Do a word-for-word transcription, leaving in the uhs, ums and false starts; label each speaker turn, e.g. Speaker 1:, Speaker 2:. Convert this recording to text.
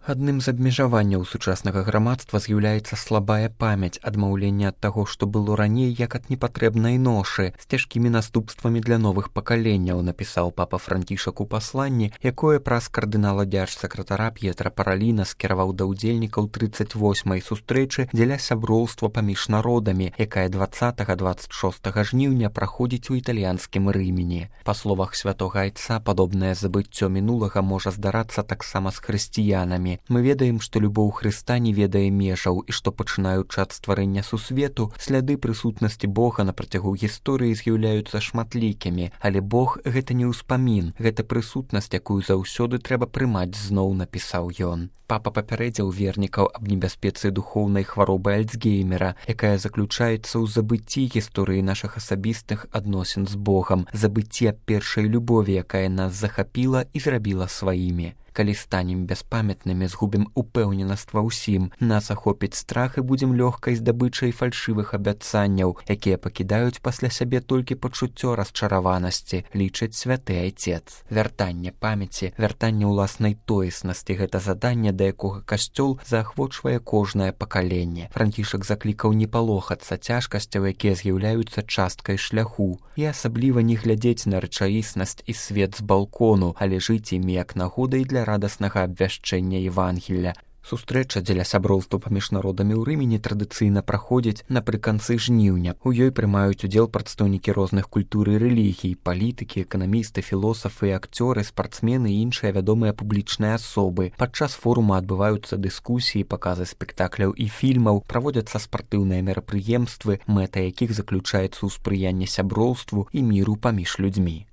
Speaker 1: Адным з абмежаванняў сучаснага грамадства з'яўляецца слабая памяць, адмаўленне ад таго, што было раней, як ад непатрэбнай ношы, з цяжкімі наступствамі для новых пакаленняў, напісаў папа Францішак у пасланні, якое праз кардынала дзяржсакратара П'етра Параліна скіраваў да ўдзельнікаў трыццаць восьмай сустрэчы дзеля сяброўства паміж народамі, якая дваццатага дваццаць шостага жніўня праходзіць у італьянскім Рымені. Па словах святога айца, падобнае забыццё мінулага можа здарацца таксама з хрысціянамі. Мы ведаем, што любоў Хрыста не ведае межаў і што, пачынаючы ад стварэння сусвету, сляды прысутнасці Бога на працягу гісторыі з'яўляюцца шматлікімі, але Бог — гэта не ўспамін, гэта прысутнасць, якую заўсёды трэба прымаць зноў, напісаў ён. Папа папярэдзіў вернікаў аб небяспецы духоўнай хваробы Альцгеймера, якая заключаецца ў забыцці гісторыі нашых асабістых адносін з Богам, забыцці аб першай любові, якая нас захапіла і зрабіла сваімі. Калі станем бяспамятнымі, згубім упэўненасць ва ўсім, нас ахопіць страх і будзем лёгкай здабычай фальшывых абяцанняў, якія пакідаюць пасля сябе толькі пачуццё расчараванасці, лічыць святы айцец. Вяртанне памяці, вяртанне ўласнай тоеснасці — гэта заданне, да якога касцёл заахвочвае кожнае пакаленне. Францішак заклікаў не палохацца цяжкасцяў, якія з'яўляюцца часткай шляху, і асабліва не глядзець на рэчаіснасць і свет з балкону, але жыць імі як нагодай для радаснага абвяшчэння Евангелля. Сустрэча дзеля сяброўства паміж народамі ў Рымені традыцыйна праходзіць напрыканцы жніўня. У ёй прымаюць удзел прадстаўнікі розных культур і рэлігій, палітыкі, эканамісты, філосафы, акцёры, спартсмены і іншыя вядомыя публічныя асобы. Падчас форума адбываюцца дыскусіі, паказы спектакляў і фільмаў, праводзяцца спартыўныя мерапрыемствы, мэта якіх заключаецца ў спрыянні сяброўству і міру паміж людзьмі.